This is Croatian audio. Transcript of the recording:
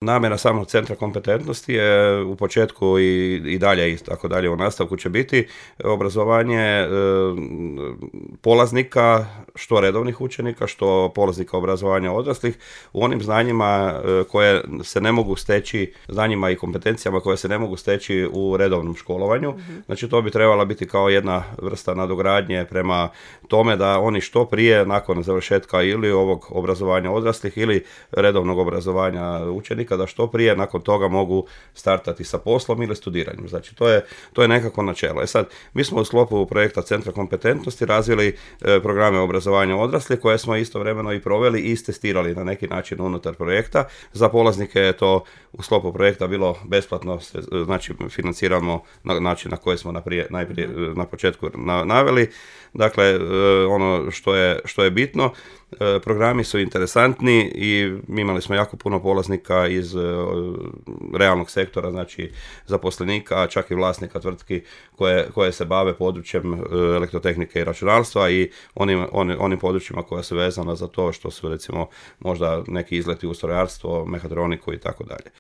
Namjera samog centra kompetentnosti je u početku i dalje i tako dalje u nastavku će biti obrazovanje polaznika, što redovnih učenika, što polaznika obrazovanja odraslih u onim znanjima koje se ne mogu steći, znanjima i kompetencijama koje se ne mogu steći u redovnom školovanju. Znači to bi trebala biti kao jedna vrsta nadogradnje prema tome da oni što prije nakon završetka ili ovog obrazovanja odraslih ili redovnog obrazovanja učenika da što prije nakon toga mogu startati sa poslom ili studiranjem. Znači to je nekako načelo. Sad, mi smo u sklopu projekta Centra kompetentnosti razvili programe obrazovanja odraslih koje smo istovremeno i proveli i testirali na neki način unutar projekta. Za polaznike je to u sklopu projekta bilo besplatno, znači financiramo na način na koji smo najprije na početku naveli. Dakle, ono što je bitno, programi su interesantni i imali smo jako puno polaznika iz realnog sektora, znači zaposlenika, čak i vlasnika tvrtki koje se bave područjem elektrotehnike i računalstva i onim područjima koja su vezana za to što su recimo možda neki izleti u strojarstvo, mehatroniku i tako dalje.